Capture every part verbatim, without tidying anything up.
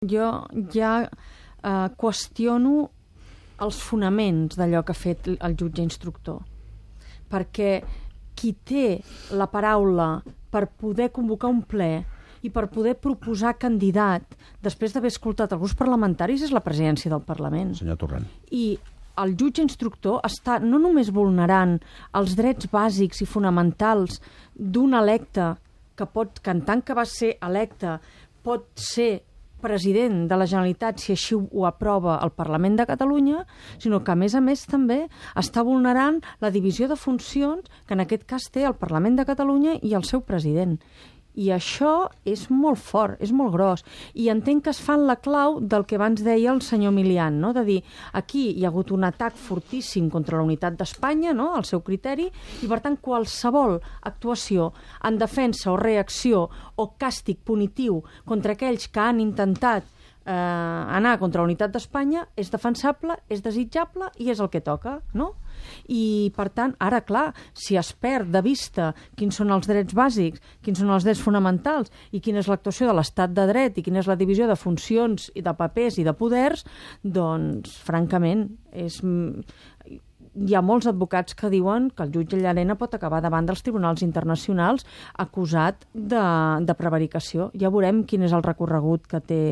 Jo ja eh, qüestiono els fonaments d'allò que ha fet el jutge instructor, perquè qui té la paraula per poder convocar un ple i per poder proposar candidat després d'haver escoltat els grups parlamentaris és la presidència del Parlament. Senyor Torrent. I el jutge instructor està no només vulnerant els drets bàsics i fonamentals d'un electe que pot, que en tant que va ser electe, pot ser president de la Generalitat si així ho aprova el Parlament de Catalunya, sinó que a més a més també està vulnerant la divisió de funcions que en aquest cas té el Parlament de Catalunya i el seu president. I això és molt fort, és molt gros. I entenc que es fa en la clau del que abans deia el senyor Milian, no? De dir, aquí hi ha hagut un atac fortíssim contra la unitat d'Espanya, no? Al seu criteri, i per tant qualsevol actuació en defensa o reacció o càstig punitiu contra aquells que han intentat eh, anar contra la unitat d'Espanya és defensable, és desitjable i és el que toca, no? I, per tant, ara, clar, si es perd de vista quins són els drets bàsics, quins són els drets fonamentals i quina és l'actuació de l'estat de dret i quina és la divisió de funcions i de papers i de poders, doncs, francament, és... hi ha molts advocats que diuen que el jutge Llarena pot acabar davant dels tribunals internacionals acusat de, de prevaricació. Ja veurem quin és el recorregut que té,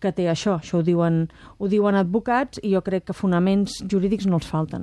que té això. Això ho diuen, ho diuen advocats i jo crec que fonaments jurídics no els falten.